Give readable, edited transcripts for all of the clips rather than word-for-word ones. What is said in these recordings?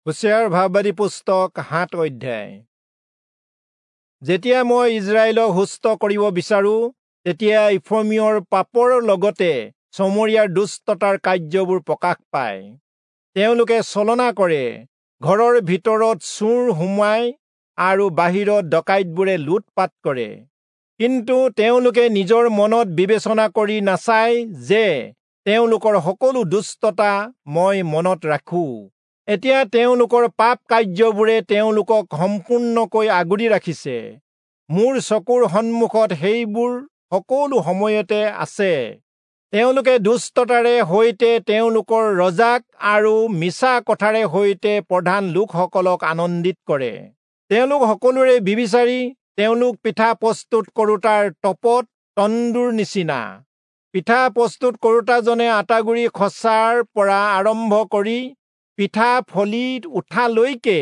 হোচেয়াৰ ভাববাদী পুস্তক 7 অধ্যায়। যেতিয়া মই ইজৰাইলক সুস্থ কৰিব বিচাৰো, তেতিয়া ইফ্ৰয়িমৰ পাপৰ লগতে চমৰীয়াৰ দুষ্টতাৰ কাৰ্যবোৰ প্ৰকাশ পায়। তেওঁলোকে ছলনা কৰে, ঘৰৰ ভিতৰত চোৰ সোমায় আৰু বাহিৰত ডকাইতবোৰে লুটপাত কৰে। কিন্তু তেওঁলোকে নিজৰ মনত বিবেচনা কৰি নাচায় যে তেওঁলোকৰ সকলো দুষ্টতা মই মনত ৰাখো। এতিয়া তেওঁলোকৰ পাপ কাৰ্যবোৰে তেওঁলোকক সম্পূৰ্ণকৈ আগুৰি ৰাখিছে। মোৰ চকুৰ সন্মুখত সেইবোৰ সকলো সময়তে আছে। তেওঁলোকে দুষ্টতাৰে সৈতে তেওঁলোকৰ ৰজাক আৰু মিছা কথাৰে সৈতে প্ৰধান লোকসকলক আনন্দিত কৰে। তেওঁলোক সকলোৰে ব্যভিচাৰী, তেওঁলোক পিঠা প্ৰস্তুত কৰোতাৰ তপত তন্দুৰ নিচিনা। পিঠা প্ৰস্তুত কৰোতাজনে আটাগুৰি খচাৰ পৰা আৰম্ভ কৰি পিঠা ফলি উঠালৈকে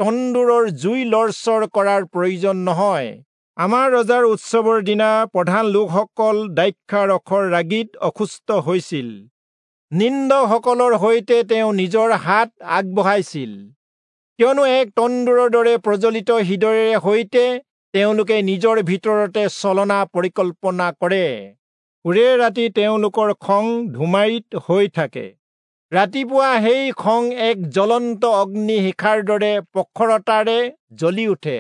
তন্দুৰৰ জুই লৰচৰ কৰাৰ প্ৰয়োজন নহয়। আমাৰ ৰজাৰ উৎসৱৰ দিনা প্ৰধান লোকসকল দ্ৰাক্ষাৰসৰ ৰাগীত অসুস্থ হৈছিল। নিন্দকসকলৰ সৈতে তেওঁ নিজৰ হাত আগবঢ়াইছিল, কিয়নো এক তন্দুৰৰ দৰে প্ৰজ্বলিত হৃদয়েৰে সৈতে তেওঁলোকে নিজৰ ভিতৰতে ছলনা পৰিকল্পনা কৰে। ওৰে ৰাতি তেওঁলোকৰ খং ধুমাৰিত হৈ থাকে। ৰাতিপুৱা সেই খং এক জ্বলন্ত অগ্নি শিখাৰ দৰে প্ৰখৰতাৰে জ্বলি উঠে।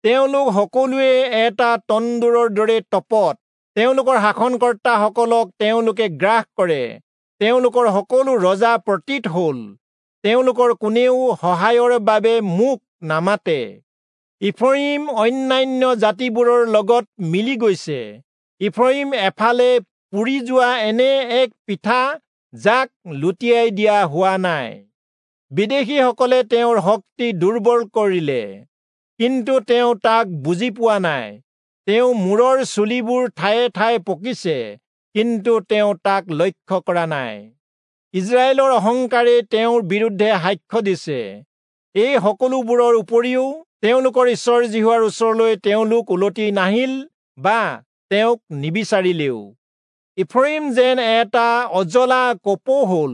তেওঁলোক সকলোৱে এটা তন্দুৰৰ দৰে তপত। তেওঁলোকৰ শাসনকৰ্তাসকলক তেওঁলোকে গ্ৰাস কৰে। তেওঁলোকৰ সকলো ৰজা পতিত হল। তেওঁলোকৰ কোনেও সহায়ৰ বাবে মোক নামাতে। ইফ্ৰয়িম অন্যান্য জাতিবোৰৰ লগত মিলি গৈছে। ইফ্ৰয়িম এফালে পুৰি যোৱা এনে এক পিঠা, যাক লুটিয়াই দিয়া হোৱা নাই। বিদেশীসকলে তেওঁৰ শক্তি দুৰ্বল কৰিলে, কিন্তু তেওঁ তাক বুজি পোৱা নাই। তেওঁ মূৰৰ চুলিবোৰ ঠায়ে ঠায়ে পকিছে, কিন্তু তেওঁ তাক লক্ষ্য কৰা নাই। ইজৰাইলৰ অহংকাৰে তেওঁৰ বিৰুদ্ধে সাক্ষ্য দিছে। এই সকলোবোৰৰ উপৰিও তেওঁলোকৰ ঈশ্বৰ যিহোৱাৰ ওচৰলৈ তেওঁলোক উলটি নাহিল বা তেওঁক নিবিচাৰিলেও। ইফ্ৰয়িম যেন এটা অজলা কপৌ হল,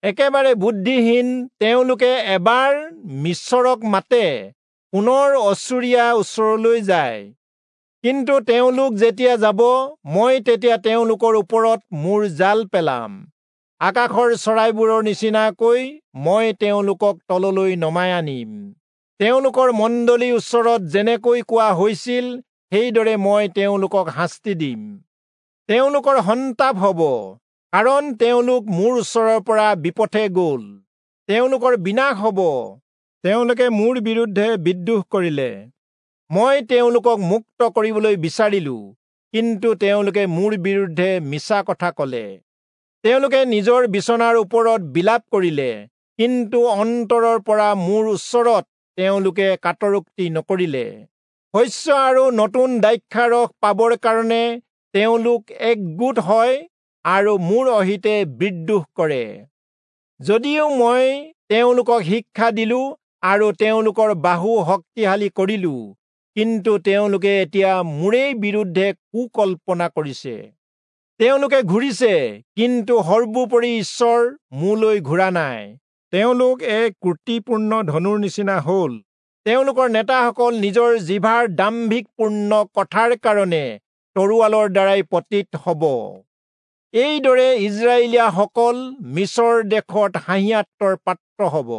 একেবাৰে বুদ্ধিহীন। তেওঁলোকে এবাৰ মিচৰক মাতে, পুনৰ অচুৰীয়া ওচৰলৈ যায়। কিন্তু তেওঁলোক যেতিয়া যাব, মই তেতিয়া তেওঁলোকৰ ওপৰত মোৰ জাল পেলাম। আকাশৰ চৰাইবোৰৰ নিচিনাকৈ মই তেওঁলোকক তললৈ নমাই আনিম। তেওঁলোকৰ মণ্ডলীৰ ওচৰত যেনেকৈ কোৱা হৈছিল, সেইদৰে মই তেওঁলোকক শাস্তি দিম। তেওঁলোকৰ সন্তাপ হব, কাৰণ তেওঁলোক মোৰ ওচৰৰ পৰা বিপথে গল। তেওঁলোকৰ বিনাশ হব, তেওঁলোকে মোৰ বিৰুদ্ধে বিদ্ৰোহ কৰিলে। মই তেওঁলোকক মুক্ত কৰিবলৈ বিচাৰিলো, কিন্তু তেওঁলোকে মোৰ বিৰুদ্ধে মিছা কথা কলে। তেওঁলোকে নিজৰ বিচনাৰ ওপৰত বিলাপ কৰিলে, কিন্তু অন্তৰৰ পৰা মোৰ ওচৰত তেওঁলোকে কাতৰোক্তি নকৰিলে। শস্য আৰু নতুন দ্ৰাক্ষাৰস পাবৰ কাৰণে তেওঁলোক একগোট হয় আৰু মোৰ অহিতে বিদ্ৰোহ কৰে। যদিও মই তেওঁলোকক শিক্ষা দিলো আৰু তেওঁলোকৰ বাহু শক্তিশালী কৰিলো, কিন্তু তেওঁলোকে এতিয়া মোৰেই বিৰুদ্ধে কুকল্পনা কৰিছে। তেওঁলোকে ঘূৰিছে, কিন্তু সৰ্বোপৰি ঈশ্বৰ মোলৈ ঘূৰা নাই। তেওঁলোক এক ক্ৰুটিপূৰ্ণ ধনুৰ নিচিনা হল। তেওঁলোকৰ নেতাসকল নিজৰ জিভাৰ দাম্ভিকপূৰ্ণ কথাৰ কাৰণে তৰোৱালৰ দ্বাৰাই পতিত হব। এইদৰে ইজৰাইলীয়াসকল মিচৰ দেশত হাঁহিয়াতৰ পাত্ৰ হব।